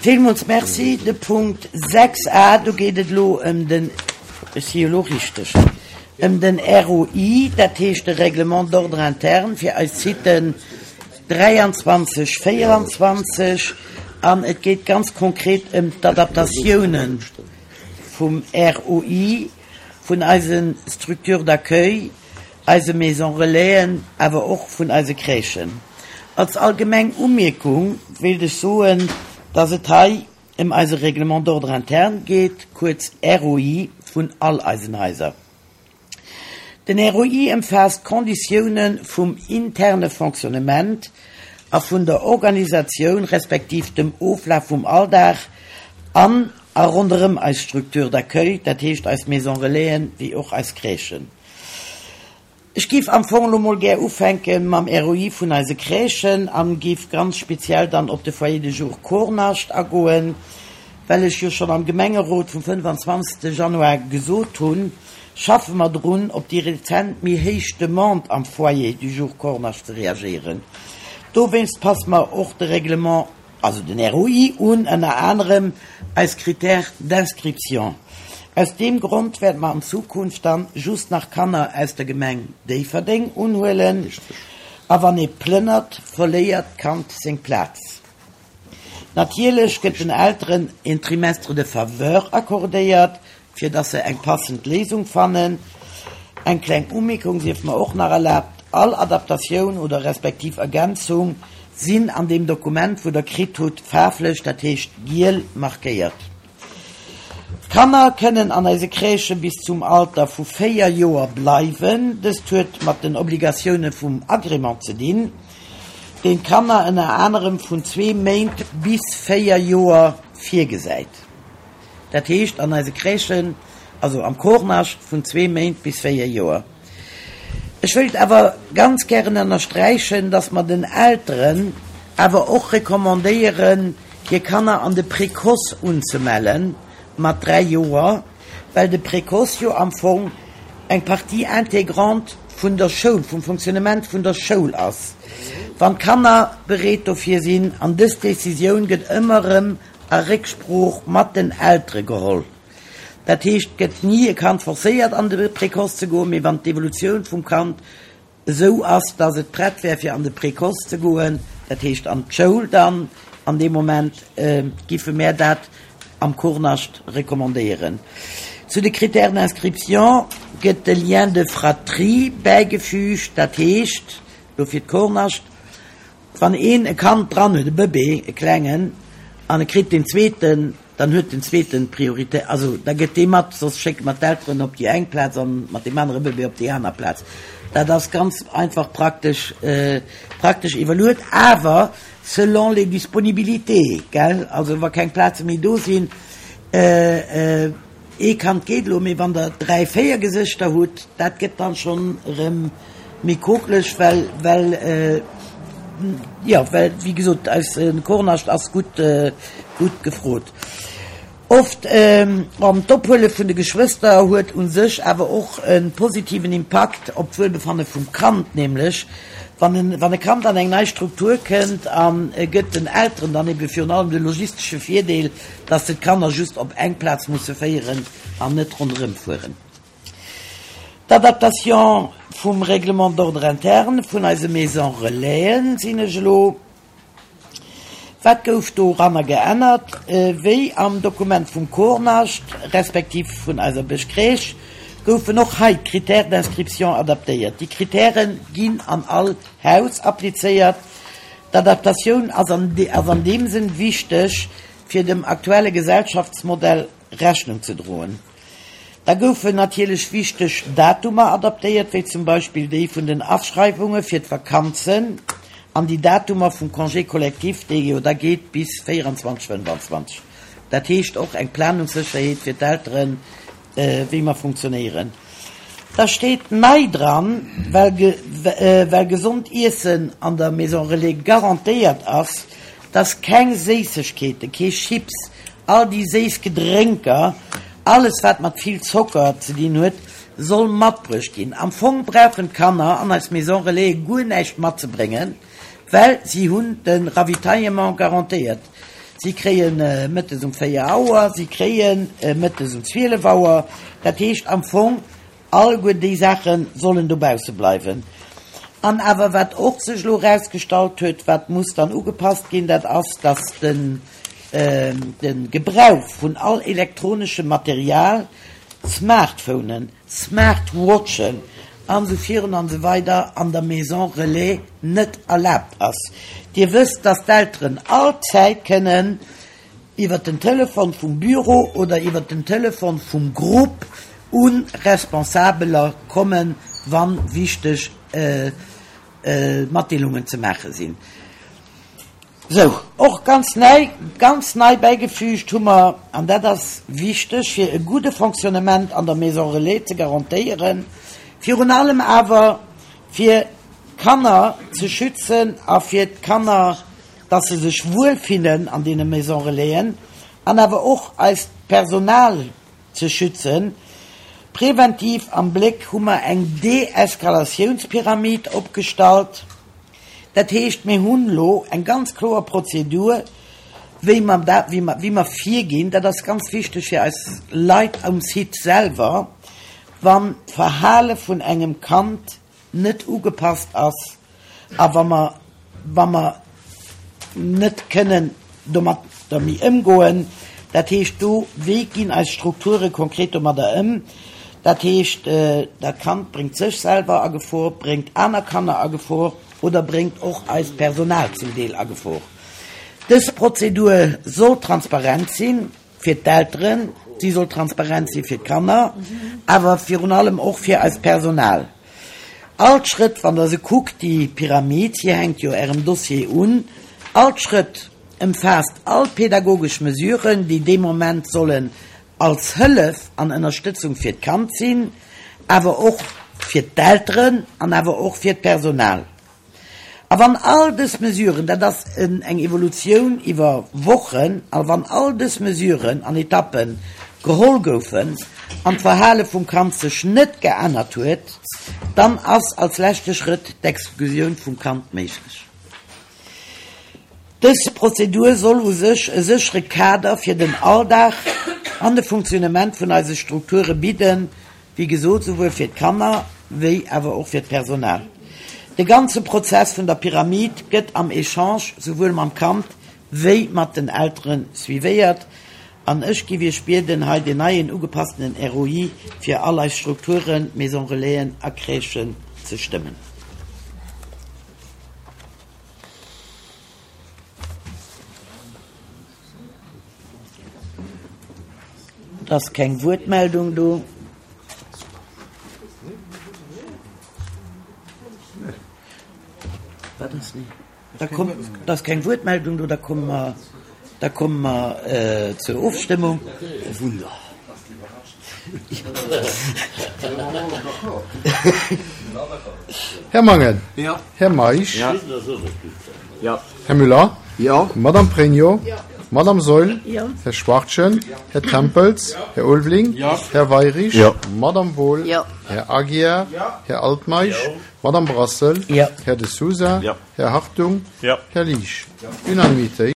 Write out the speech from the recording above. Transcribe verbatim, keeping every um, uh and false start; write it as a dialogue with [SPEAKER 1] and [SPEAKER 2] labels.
[SPEAKER 1] Villmools Merci. De Punkt sechs a, do geet et elo ëm den, ech si jo elo richteg, ëm den R O I, dat heescht de Règlement d'ordre interne fir eis Siten dräianzwanzeg, véieranzwanzeg, an et geet ganz konkret ëm d'Adaptatiounen vum R O I, vun eise Structures d'accueil, eise Maison Relaisen, awer och vun eise Crèchen. Als allgemeng Umierkung wéilt ech soen, dass et hei ëm eise Règlement d'ordre interne geet, kuerz R O I, vun all eisen Haiser. Den R O I ëmfaasst d'Konditioune vum interne Fonctionnement a vun der Organisatioun respektiv dem Oflaf vum Alldag an a ronderëm eis Structure d'accueil, dat heescht eis Maison Relaisen wéi och eis Crèchen. Ech géif am Fong elo mol gär ufänke mam R O I vun eise Crèchen an géif ganz speziell dann op de Foyer de jour Kornascht agoen, well ech jo schonn am Gemengerot vum fënnefanzwanzegste Januar gesot hunn, schaffe mer drun, op déi rezent méi héich Demande am Foyer du jour Kornascht ze reagéieren. Dowéinst passe mer och de Règlement, also den R O I un, ënner anerem eis Critères d'inscription. Aus deem Grond wäerte mer an Zukunft dann just nach Kanner aus der Gemeng Déifferdeng unhuelen. A wann ee plënnert, verléiert d'Kand seng Plaz. Natierlech gëtt den Elteren en Trimestre de faveur accordéiert, fir dass se eng passend Léisung fannen. Eng kleng Umierkung sief mer och nach erlaabt: All Adaptatioun oder respektiv Ergänzung sinn an deem Dokument, wou der kritt hutt, faarflech, dat heescht giel, markéiert. D'Kanner kënnen an eise Crèchë bis zum Alter vu véier Joer bleiwen. Dëst huet mat den Obligatioune vum Agrément ze dinn, deen d'Kanner ënner anerem vun zwee Méint bis véier Joer virgesäit. Dat heescht an eise Crèchen, also am Kornascht, vun zwee Méint bis véier Joer. Ech wëilt awer ganz gären ënnersträichen, dass mer den Elteren awer och recommandéieren, hir Kanner an de Précoce unzemellen mat dräi Joer, well de Précoce jo am Fong eng Partie intégrante vun der Schoul, vum Fonctionnement vun der Schoul ass. Wann d'Kanner bereet dofir sinn, an dës Decisioun gëtt ëmmer erëm a Récksprooch mat den Eltere geholl. Dat heescht, et gëtt ni e Kand forcéiert an de Précoce ze goen, mee wann d'Evolutioun vum Kand esou ass, dass et prett wär fir an de Précoce ze goen, dat heescht an d'Schoul dann, an deem Moment giffe mär dat am Kornascht recommandéieren. Zu de Critères d'inscription gëtt de Lien de fratrie bäigefüügt, dat heescht, elo fir d'Kornascht, wann een e Kand dran huet, e Bëbee, e klengen, an e kritt deen zweeten, dann huet den zweeten Prioritéit, also da gëtt dee mat, soss schécke mer d'Elteren op déi eng Plaz an mat deem anere Bëbee op déi aner Plaz. Dat ass ganz einfach praktesch, praktesch iwwerluet, awer selon les disponibilités, gell, also wa keng Plaze méi do sinn, ee Kand geet elo, mee wann der dräi, véier Gesëschter hutt, dat gëtt dann schonn erëm méi kokeleg, well, well, jo, well wéi gesot, eise Kornascht ass gutt, gutt gefrot. Oft an d'Ophuele vun de Geschwëster huet u sech awer och e positiven Impakt op d'Wuelbefanne vum Kand, nämlech wann en wann e Kand an eng nei Struktur kënnt an e gëtt den Elteren dann ebe virun allem de logistesche Virdeel, dass se d'Kanner just op eng Plaz musse féieren an net ronderëm fueren. D'Adaptation vum Règlement d'ordre interne vun eise Maisons Relaisen sinn ech elo. Wat gouf doranner geännert? Wéi am Dokument vum Kornascht, respektiv vun eiser Bëschcrèche, goufen och hei d'Critères d'inscription adaptéiert. Déi Kritäre ginn an all Haus applizéiert. D'Adaptatioun ass an ass an deem Sënn wichteg, fir dem aktuelle Gesellschaftsmodell Rechnung ze droen. Da goufen natierlech wichteg Datumer adaptéiert, wéi zum Beispill déi vun den Aschreiwunge fir d'Vakanzen an déi Datumer vum Congé collectif, dee jo da geet bis véieranzwanzeg, fënnefanzwanzeg. Dat heescht och eng Planungssécherheet fir d'Elteren, wéi mer funktionéieren. Da steet nei dran, well well gesond Iessen an der Maison Relais garantéiert ass, dass keng Séissegkeeten, kee Chips, all déi séiss Gedrénker, alles wat mat vill Zocker ze dinn huet, soll matbruecht ginn. Am Fong brauchen d'Kanner an eis Maison Relais guer näischt matzebréngen, well si hunn de Ravitaillement garantéiert. Si kréie mëttes um véier Auer, si kréie mëttes um zwielef Auer. Dat heescht am Fong, alleguer déi Saache sollen dobausse bleiwen. An awer wat och sech elo erausgestallt huet, wat muss dann ugepasst ginn, dat ass, dass den de Gebrauch vun all elektroneschem Material, Smartphonen, Smartwatchen an esou virun an esou weider an der Maison Relais net erlaabt ass. Dir wësst, dass d'Elteren all Zäit kënnen iwwert den Telefon vum Büro oder iwwert den Telefon vum Grupp u Responsabeler kommen, wa wichteg Matdeelungen ze maache sinn. Sou, och ganz nei, ganz nei bäigefügt hu mer, an dat ass wichteg, fir e gudde Fonctionnement an der Maison Relais ze garantéieren, virun allem awer fir d'Kanner ze schützen a fir d'Kanner, dass se sech wuelfinnen an deene Maison Relaisen, an awer och eist Personal ze schützen, Präventiv am Bléck hu mer eng Deeskalatiounspyramid opgestallt. Dat heescht, mir hunn elo eng ganz kloer Prozedur, wéi mer dat, wéi mer, wéi mer virginn. Dat ass ganz wichteg fir eis Leit um Site selwer, wann d'Verhale vun engem Kand net ugepasst ass a wa mer, wa mer net kënnen domatter méi ëmgoen. Dat heescht do, wéi ginn eis Strukture konkret domadder ëm? Dat heescht, dat Kand bréngt sech selwer a Gefor, bréngt aner Kanner a Gefor oder bréngt och eist Personal zum Deel a Gefor. Dës Prozedur soll transparent sinn fir d'Elteren, si soll transparent si fir d'Kanner, awer virun allem och fir eist Personal. All d'Schrëtt, wann Der se kuckt, déi Pyramid, si hänkt jo Ärem Dossier un, all d'Schrëtt ëmfaasst all pedagogesch Mesuren, déi dee Moment sollen als Hëllef an Ënnerstëtzung fir d'Kand sinn, awer och fir d'Elteren an awer och fir d'Personal. A wann all dës Mesuren, dat ass eng Evolutioun iwwer Wochen, a wann all dës Mesuren an Etappen geholl goufen an d'Verhale vum Kand sech net geännert huet, dann ass als leschte Schrëtt d'Exklusioun vum Kand méiglech. Dës Prozedur soll u sech e séchere Kader fir den Alldag an de Funktionnement vun eise Strukture bidden, wéi gesot, souwuel fir d'Kanner wéi awer och fir d'Personal. De ganze Prozess vun der Pyramid gëtt am Echange souwuel mam Kand wéi mat den Eltere suivéiert. An ech géif Iech bieden, hei deen neien ugepasstenen R O I fir all eis Strukturen, Maison Relaisen a Crèchen ze stëmmen. Et ass keng Wuertmeldung do. Wat ass ni? Da komm, da ass keng Wuertmeldung do, da komme mer, da komme mer zur Ofstëmmung. Oh Wunder.
[SPEAKER 2] Här Mangen. Här Meisch. Här Müller. Madame Pregno. Madame Saeul. Här Schwachtgen. Här Tempels. Här Ulveling. Här Weyrich. Madame Wohl. Här Aguiar. Här Altmeisch. Madame Brassel. Här De Sousa. Här Hartung. Här Liesch. Unanimitéit.